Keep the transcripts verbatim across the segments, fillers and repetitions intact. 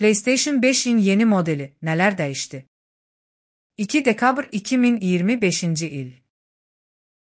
PlayStation beşin yeni modeli neler değişti? iki dekabr iki min iyirmi beşinci il.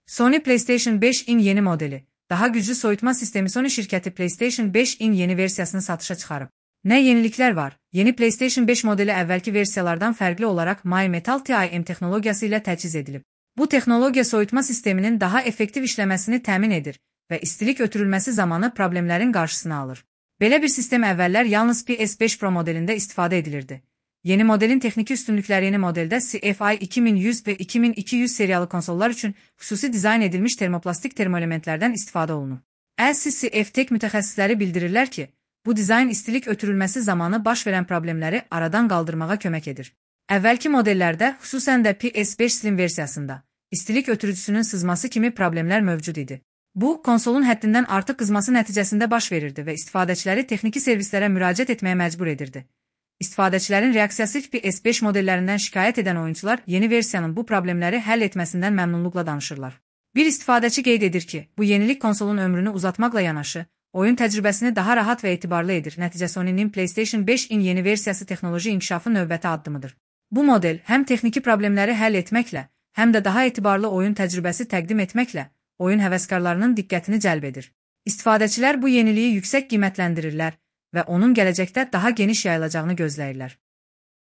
Sony PlayStation beşin yeni modeli, daha güclü soyutma sistemi Sony şirketi PlayStation beşin yeni versiyasını satışa çıxarıb. Ne yenilikler var? Yeni PlayStation beş modeli əvvəlki versiyalardan fərqli olaraq My Metal T I M texnologiyası ilə təchiz edilib. Bu texnologiya soyutma sisteminin daha effektiv işləməsini təmin edir və istilik ötürülməsi zamanı problemlərin qarşısını alır. Belə bir sistem əvvəllər yalnız P S beş Pro modelində istifadə edilirdi. Yeni modelin texniki üstünlükləri yeni modeldə C F I iki min yüz və iki min iki yüz seriyalı konsollar üçün xüsusi dizayn edilmiş termoplastik termoelementlərdən istifadə olunub. L C C F Tech mütəxəssisləri bildirirlər ki, bu dizayn istilik ötürülməsi zamanı baş verən problemləri aradan qaldırmağa kömək edir. Əvvəlki modellərdə, xüsusən də P S beş Slim versiyasında, istilik ötürücüsünün sızması kimi problemlər mövcud idi. Bu, konsolun həddindən artıq qızması nəticəsində baş verirdi və istifadəçiləri texniki servislərə müraciət etməyə məcbur edirdi. İstifadəçilərin reaksiyası P S beş modellərindən şikayət edən oyuncular yeni versiyanın bu problemləri həll etməsindən məmnunluqla danışırlar. Bir istifadəçi qeyd edir ki, bu yenilik konsolun ömrünü uzatmaqla yanaşı, oyun təcrübəsini daha rahat və etibarlı edir. Nəticə Sony'nin PlayStation beşin yeni versiyası texnoloji inkişafı növbəti addımıdır. Bu model həm texniki problemləri həll etməklə, həm də daha etibarlı oyun təcrübəsi təqdim etməklə oyun həvəskarlarının diqqətini cəlb edir. İstifadəçilər bu yeniliyi yüksək qiymətləndirirlər və onun gələcəkdə daha geniş yayılacağını gözləyirlər.